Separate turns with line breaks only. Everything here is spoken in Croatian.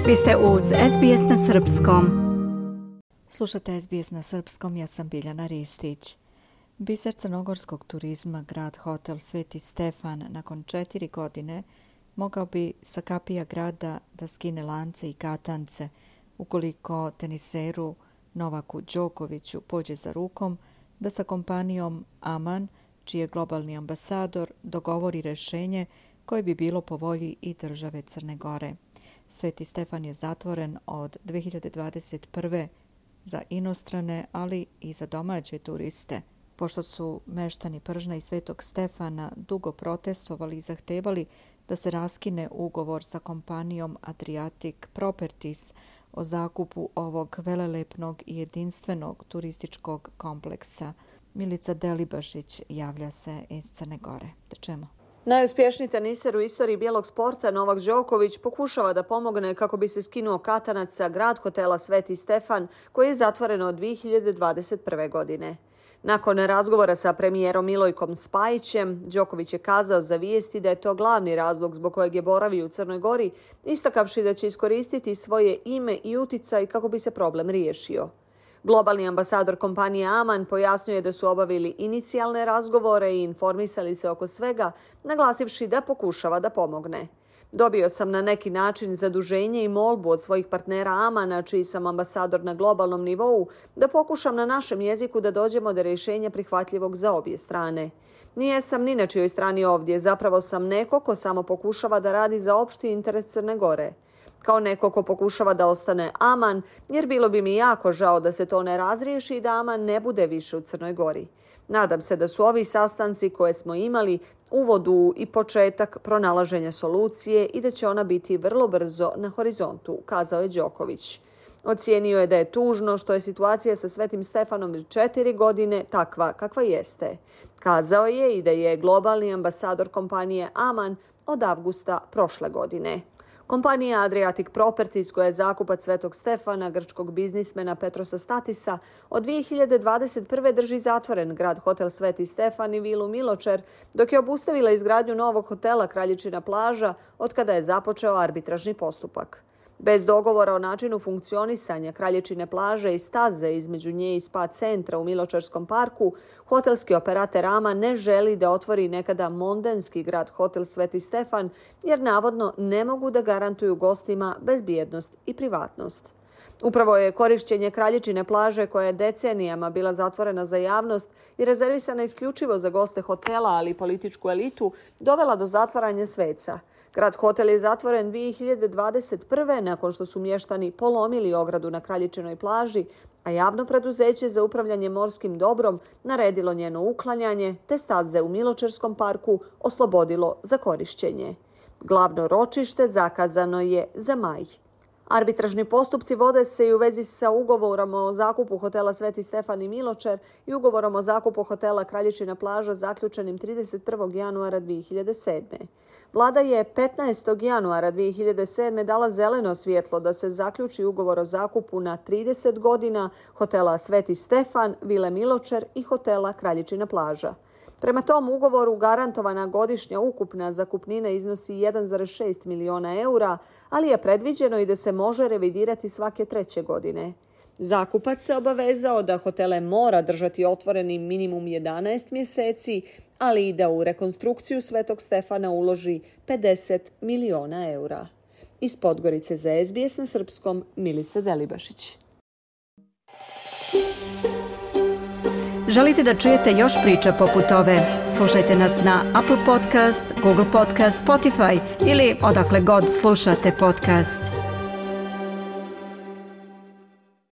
Vi ste uz SBS na Srpskom. Slušate SBS na Srpskom, ja sam Biljana Ristić. Biser crnogorskog turizma, grad hotel Sveti Stefan, nakon 4 godine mogao bi sa kapija grada da skine lance i katance ukoliko teniseru Novaku Đokoviću pođe za rukom da sa kompanijom Aman, čiji je globalni ambasador, dogovori rješenje koje bi bilo po volji i države Crne Gore. Sveti Stefan je zatvoren od 2021. za inostrane, ali i za domaće turiste, pošto su meštani Pržna i Svetog Stefana dugo protestovali i zahtevali da se raskine ugovor sa kompanijom Adriatic Properties o zakupu ovog velelepnog i jedinstvenog turističkog kompleksa. Milica Delibašić javlja se iz Crne Gore. Da čemu?
Najuspješniji teniser u istoriji bijelog sporta Novak Đoković pokušava da pomogne kako bi se skinuo katanac sa grad hotela Sveti Stefan, koji je zatvoren od 2021. godine. Nakon razgovora sa premijerom Milojkom Spajićem, Đoković je kazao za Vijesti da je to glavni razlog zbog kojeg je boravio u Crnoj Gori, istakavši da će iskoristiti svoje ime i uticaj kako bi se problem riješio. Globalni ambasador kompanije Aman pojasnjuje da su obavili inicijalne razgovore i informisali se oko svega, naglasivši da pokušava da pomogne. Dobio sam na neki način zaduženje i molbu od svojih partnera Amana, čiji sam ambasador na globalnom nivou, da pokušam na našem jeziku da dođemo do rješenja prihvatljivog za obje strane. Nije sam ni na čijoj strani ovdje, zapravo sam neko ko samo pokušava da radi za opšti interes Crne Gore. Kao neko ko pokušava da ostane Aman, jer bilo bi mi jako žao da se to ne razriješi i da Aman ne bude više u Crnoj Gori. Nadam se da su ovi sastanci koje smo imali uvod u i početak pronalaženja solucije i da će ona biti vrlo brzo na horizontu, kazao je Đoković. Ocijenio je da je tužno što je situacija sa Svetim Stefanom 4 godine takva kakva jeste. Kazao je i da je globalni ambasador kompanije Aman od avgusta prošle godine. Kompanija Adriatic Properties, koja je zakupac Svetog Stefana, grčkog biznismena Petrosa Statisa, od 2021. drži zatvoren grad hotel Sveti Stefan i vilu Miločer, dok je obustavila izgradnju novog hotela Kraljičina plaža od kada je započeo arbitražni postupak. Bez dogovora o načinu funkcionisanja Kraljičine plaže i staze između nje i spa centra u Miločerskom parku, hotelski operater Aman ne želi da otvori nekada mondenski grad hotel Sveti Stefan, jer navodno ne mogu da garantuju gostima bezbjednost i privatnost. Upravo je korišćenje Kraljičine plaže, koja je decenijama bila zatvorena za javnost i rezervisana isključivo za goste hotela, ali i političku elitu, dovela do zatvaranja sveca. Grad hotel je zatvoren 2021. nakon što su mještani polomili ogradu na Kraljičinoj plaži, a javno preduzeće za upravljanje morskim dobrom naredilo njeno uklanjanje, te staze u Miločerskom parku oslobodilo za korišćenje. Glavno ročište zakazano je za maj. Arbitražni postupci vode se i u vezi sa ugovorom o zakupu hotela Sveti Stefan i Miločer i ugovorom o zakupu hotela Kraljičina plaža zaključenim 31. januara 2007. Vlada je 15. januara 2007. dala zeleno svjetlo da se zaključi ugovor o zakupu na 30 godina hotela Sveti Stefan, vile Miločer i hotela Kraljičina plaža. Prema tom ugovoru garantovana godišnja ukupna zakupnina iznosi 1,6 miliona eura, ali je predviđeno i da se može revidirati svake 3. godine. Zakupac se obavezao da hotele mora držati otvorenim minimum 11 mjeseci, ali i da u rekonstrukciju Svetog Stefana uloži 50 miliona eura. Iz Podgorice za SBS na Srpskom, Milica Delibašić.
Želite da čujete još priča poput ove? Slušajte nas na Apple Podcast, Google Podcast, Spotify ili odakle god slušate podcast.